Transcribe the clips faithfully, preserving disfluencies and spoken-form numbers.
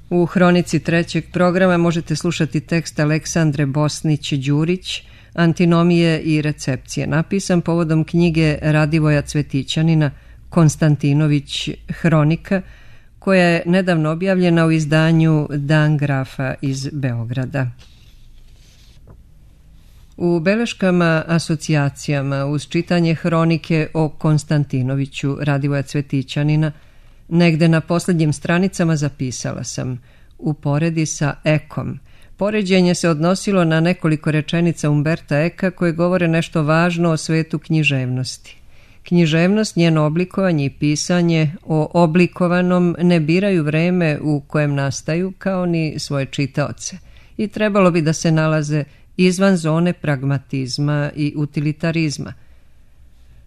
U hronici trećeg programa možete slušati tekst Aleksandre Bosnić-Đurić, Antinomije i recepcije, napisan povodom knjige Radivoja Cvetićanina Konstantinović Hronika, koja je nedavno objavljena u izdanju Dan Grafa iz Beograda. U beleškama asocijacijama uz čitanje hronike o Konstantinoviću Radivoja Cvetićanina negde na posljednjim stranicama zapisala sam: uporedi sa Ekom. Poređenje se odnosilo na nekoliko rečenica Umberta Eka koje govore nešto važno o svetu književnosti. Književnost, njeno oblikovanje i pisanje o oblikovanom ne biraju vreme u kojem nastaju, kao ni svoje čitaoce, i trebalo bi da se nalaze izvan zone pragmatizma i utilitarizma.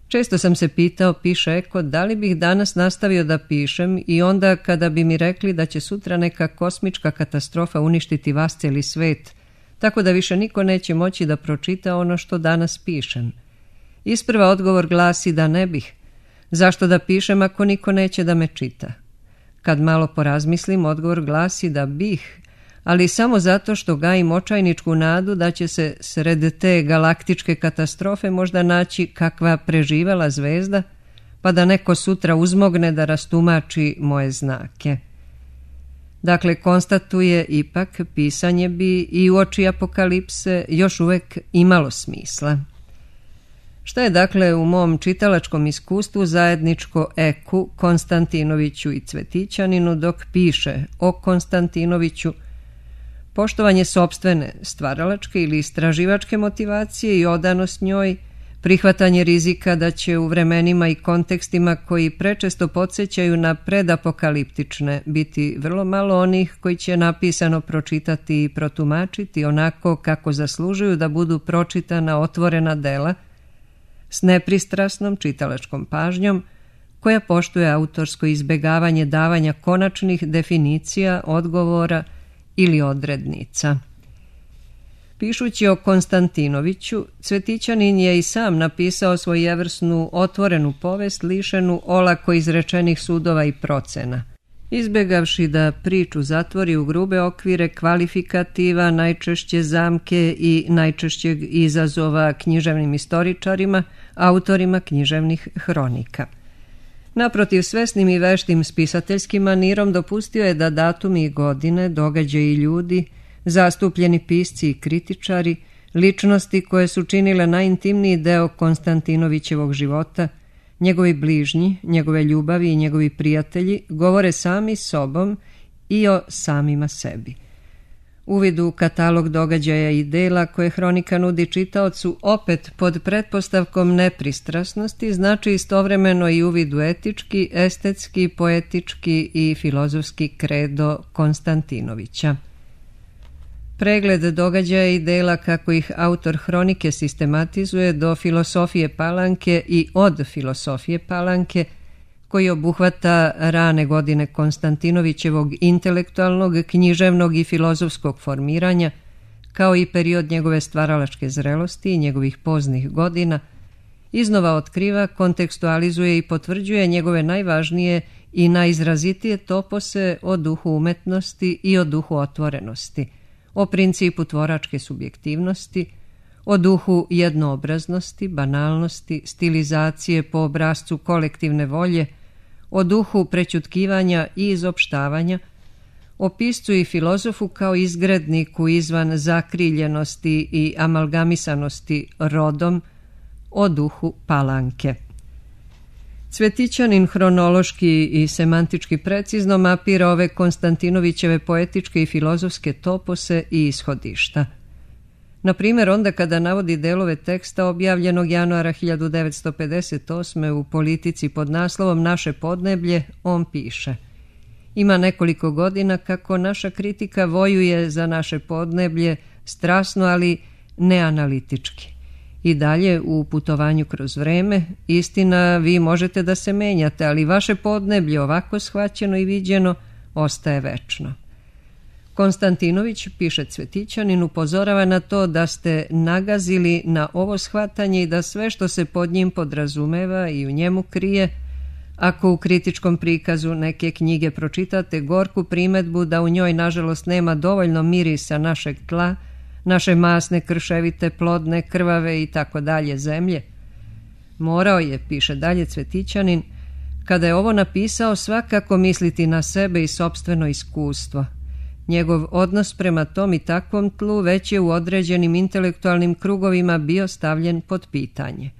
Često sam se pitao, piše Eko, da li bih danas nastavio da pišem i onda kada bi mi rekli da će sutra neka kosmička katastrofa uništiti vas cijeli svet, tako da više niko neće moći da pročita ono što danas pišem. Isprva odgovor glasi da ne bih. Zašto da pišem ako niko neće da me čita? Kad malo porazmislim, odgovor glasi da bih, ali samo zato što gajim očajničku nadu da će se sred te galaktičke katastrofe možda naći kakva preživela zvezda, pa da neko sutra uzmogne da rastumači moje znake. Dakle, konstatuje ipak, pisanje bi i uoči apokalipse još uvek imalo smisla. Šta je dakle u mom čitalačkom iskustvu zajedničko Eku, Konstantinoviću i Cvetićaninu dok piše o Konstantinoviću? Poštovanje sopstvene, stvaralačke ili istraživačke motivacije i odanost njoj, prihvatanje rizika da će u vremenima i kontekstima koji prečesto podsjećaju na predapokaliptične biti vrlo malo onih koji će napisano pročitati i protumačiti onako kako zaslužuju da budu pročitana otvorena dela, s nepristrasnom čitalačkom pažnjom koja poštuje autorsko izbegavanje davanja konačnih definicija, odgovora ili odrednica. Pišući o Konstantinoviću, Cvetićanin je i sam napisao svojevrsnu otvorenu povest lišenu olako izrečenih sudova i procena, izbegavši da priču zatvori u grube okvire kvalifikativa, najčešće zamke i najčešćeg izazova književnim istoričarima, autorima književnih hronika. Naprotiv, svesnim i veštim spisateljskim manirom dopustio je da datumi i godine, događaji i ljudi, zastupljeni pisci i kritičari, ličnosti koje su činile najintimniji deo Konstantinovićevog života, njegovi bližnji, njegove ljubavi i njegovi prijatelji govore sami sobom i o samima sebi. Uvid u katalog događaja i dela koje hronika nudi čitaocu opet pod pretpostavkom nepristrasnosti znači istovremeno i uvid u etički, estetski, poetički i filozofski kredo Konstantinovića. Pregled događaja i dela kako ih autor hronike sistematizuje do filosofije Palanke i od filosofije Palanke, koji obuhvata rane godine Konstantinovićevog intelektualnog, književnog i filozofskog formiranja, kao i period njegove stvaralačke zrelosti i njegovih poznih godina, iznova otkriva, kontekstualizuje i potvrđuje njegove najvažnije i najizrazitije topose o duhu umetnosti i o duhu otvorenosti, o principu tvoračke subjektivnosti, o duhu jednoobraznosti, banalnosti, stilizacije po obrascu kolektivne volje, o duhu prećutkivanja i izopštavanja, o piscu i filozofu kao izgredniku izvan zakriljenosti i amalgamisanosti rodom, o duhu Palanke. Cvetićanin hronološki i semantički precizno mapira ove Konstantinovićeve poetičke i filozofske topose i ishodišta. Na primjer, onda kada navodi delove teksta objavljenog januara hiljadu devetsto pedeset osme u Politici pod naslovom Naše podneblje, on piše: ima nekoliko godina kako naša kritika vojuje za naše podneblje strasno, ali neanalitički. I dalje u putovanju kroz vreme, istina, vi možete da se menjate, ali vaše podneblje ovako shvaćeno i viđeno ostaje večno. Konstantinović, piše Cvetićanin, upozorava na to da ste nagazili na ovo shvatanje i da sve što se pod njim podrazumeva i u njemu krije, Ako u kritičkom prikazu neke knjige pročitate gorku primedbu da u njoj nažalost nema dovoljno mirisa našeg tla, naše masne, krševite, plodne, krvave i tako dalje zemlje, morao je, piše dalje Cvetićanin, kada je ovo napisao svakako misliti na sebe i sopstveno iskustvo. Njegov odnos prema tom i takvom tlu već je u određenim intelektualnim krugovima bio stavljen pod pitanje.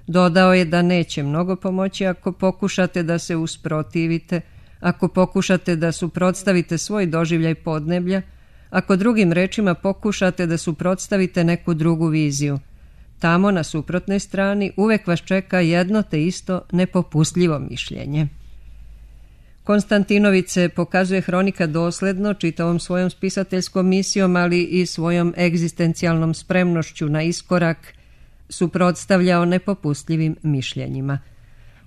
Dodao je da neće mnogo pomoći ako pokušate da se usprotivite, ako pokušate da suprotstavite svoj doživljaj podneblja, ako drugim rečima pokušate da suprotstavite neku drugu viziju. Tamo na suprotnoj strani uvek vas čeka jedno te isto nepopustljivo mišljenje. Konstantinović se, pokazuje hronika, dosledno čitavom svojom spisateljskom misijom, ali i svojom egzistencijalnom spremnošću na iskorak, suprotstavljao nepopustljivim mišljenjima.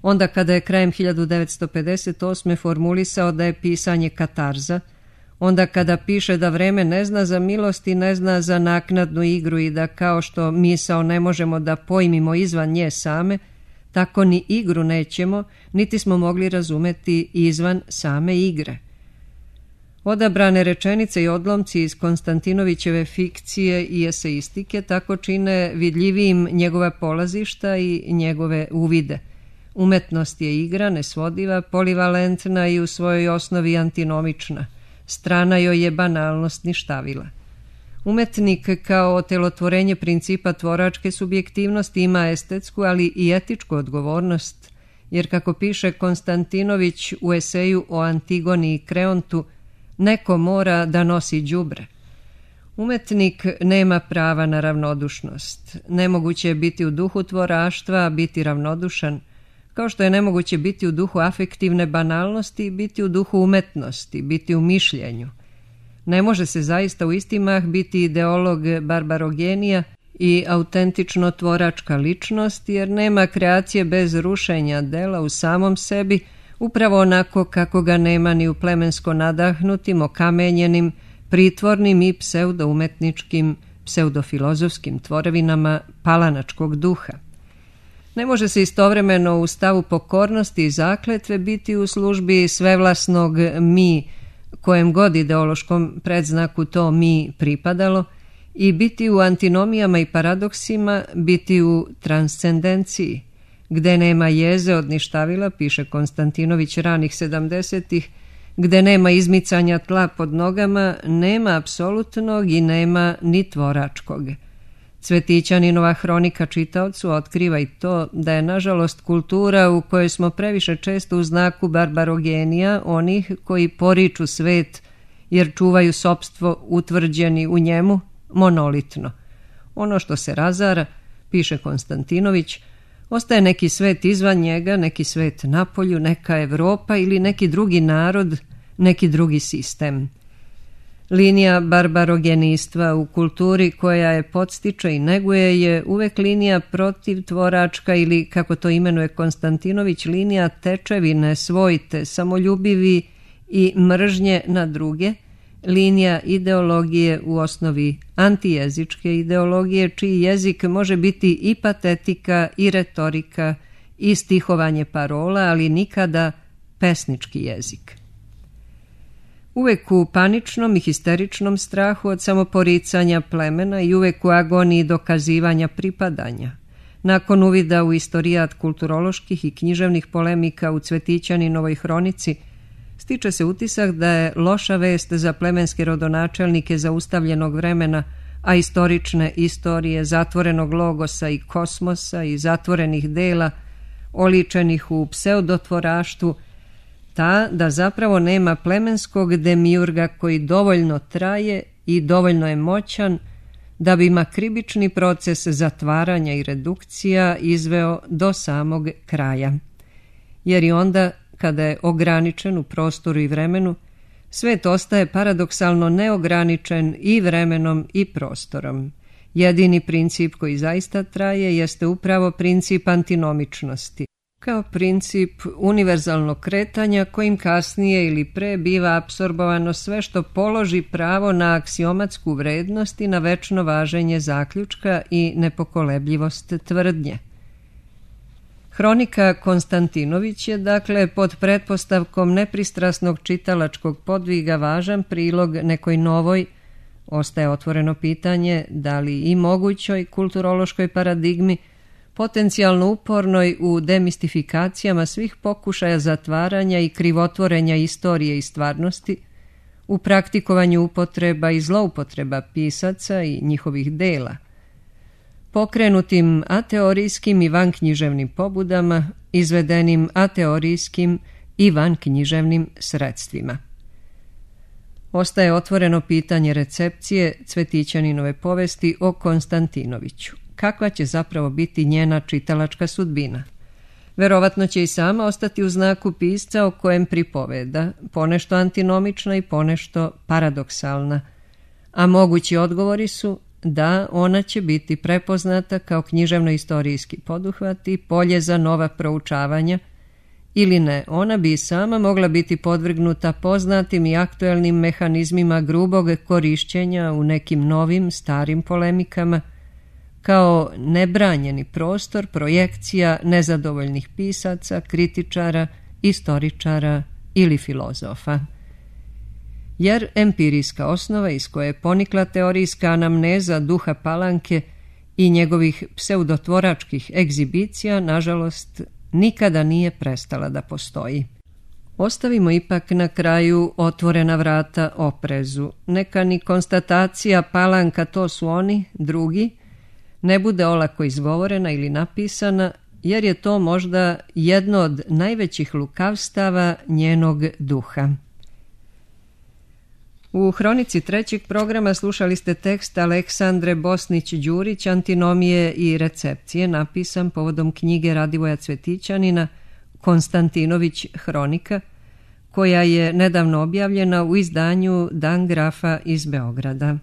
Onda kada je krajem hiljadu devetsto pedeset osme formulisao da je pisanje katarza, onda kada piše da vreme ne zna za milost i ne zna za naknadnu igru i da kao što misao ne možemo da pojmimo izvan nje same, tako ni igru nećemo, niti smo mogli razumeti izvan same igre. Odabrane rečenice i odlomci iz Konstantinovićeve fikcije i eseistike tako čine vidljivijim njegova polazišta i njegove uvide. Umetnost je igra, nesvodiva, polivalentna i u svojoj osnovi antinomična. Strana joj je banalnost ništavila. Umetnik kao otelotvorenje principa tvoračke subjektivnosti ima estetsku, ali i etičku odgovornost, jer kako piše Konstantinović u eseju o Antigoni i Kreontu, neko mora da nosi đubre. Umetnik nema prava na ravnodušnost. Nemoguće je biti u duhu tvoraštva, a biti ravnodušan, kao što je nemoguće biti u duhu afektivne banalnosti i biti u duhu umetnosti, biti u mišljenju. Ne može se zaista u isti mah biti ideolog barbarogenija i autentično tvoračka ličnost, jer nema kreacije bez rušenja dela u samom sebi, upravo onako kako ga nema ni u plemensko nadahnutim, okamenjenim, pritvornim i pseudoumetničkim, pseudofilozofskim tvorevinama palanačkog duha. Ne može se istovremeno u stavu pokornosti i zakletve biti u službi svevlasnog mi, kojem god ideološkom predznaku to mi pripadalo, i biti u antinomijama i paradoksima, biti u transcendenciji. Gde nema jeze od ništavila, piše Konstantinović ranih sedamdesetih, gde nema izmicanja tla pod nogama, nema apsolutnog i nema ni tvoračkog. Cvetićaninova hronika čitaocu otkriva i to da je nažalost kultura u kojoj smo previše često u znaku barbarogenija, onih koji poriču svet jer čuvaju sopstvo utvrđeni u njemu, monolitno. Ono što se razara, piše Konstantinović, ostaje neki svet izvan njega, neki svet napolju, neka Evropa ili neki drugi narod, neki drugi sistem. Linija barbarogenistva u kulturi koja je podstiče i neguje je uvek linija protiv tvoračka ili, kako to imenuje Konstantinović, linija tečevine, svojte, samoljubivi i mržnje na druge, linija ideologije u osnovi antijezičke ideologije, čiji jezik može biti i patetika i retorika i stihovanje parola, ali nikada pesnički jezik. Uvek u paničnom i histeričnom strahu od samoporicanja plemena i uvek u agoniji dokazivanja pripadanja. Nakon uvida u istorijat kulturoloških i književnih polemika u Cvetićaninovoj hronici, stiče se utisak da je loša vest za plemenske rodonačelnike zaustavljenog vremena, a istorične istorije zatvorenog logosa i kosmosa i zatvorenih dela, oličenih u pseudotvoraštvu, ta da zapravo nema plemenskog demiurga koji dovoljno traje i dovoljno je moćan da bi makribični proces zatvaranja i redukcija izveo do samog kraja. Jer i onda, kada je ograničen u prostoru i vremenu, svet ostaje paradoksalno neograničen i vremenom i prostorom. Jedini princip koji zaista traje jeste upravo princip antinomičnosti, kao princip univerzalnog kretanja kojim kasnije ili pre biva apsorbovano sve što položi pravo na aksiomatsku vrednost i na večno važenje zaključka i nepokolebljivost tvrdnje. Hronika Konstantinović je, dakle, pod pretpostavkom nepristrasnog čitalačkog podviga važan prilog nekoj novoj, ostaje otvoreno pitanje, da li i mogućoj kulturološkoj paradigmi, potencijalno upornoj u demistifikacijama svih pokušaja zatvaranja i krivotvorenja istorije i stvarnosti, u praktikovanju upotreba i zloupotreba pisaca i njihovih dela, pokrenutim ateorijskim i vanknjiževnim pobudama, izvedenim ateorijskim i vanknjiževnim sredstvima. Ostaje otvoreno pitanje recepcije Cvetićaninove povesti o Konstantinoviću. Kakva će zapravo biti njena čitalačka sudbina? Verovatno će i sama ostati u znaku pisca o kojem pripoveda, ponešto antinomična i ponešto paradoksalna, a mogući odgovori su da ona će biti prepoznata kao književno-istorijski poduhvat i polje za nova proučavanja, ili ne, ona bi i sama mogla biti podvrgnuta poznatim i aktuelnim mehanizmima grubog korišćenja u nekim novim, starim polemikama, kao nebranjeni prostor projekcija nezadovoljnih pisaca, kritičara, istoričara ili filozofa. Jer empirijska osnova iz koje je ponikla teorijska anamneza duha Palanke i njegovih pseudotvoračkih egzibicija, nažalost, nikada nije prestala da postoji. Ostavimo ipak na kraju otvorena vrata oprezu. Neka ni konstatacija Palanka to su oni, drugi, ne bude olako izgovorena ili napisana, jer je to možda jedno od najvećih lukavstava njenog duha. U hronici trećeg programa slušali ste tekst Aleksandre Bosnić-Đurić Antinomije i recepcije, napisan povodom knjige Radivoja Cvetićanina Konstantinović hronika, koja je nedavno objavljena u izdanju Dan Grafa iz Beograda.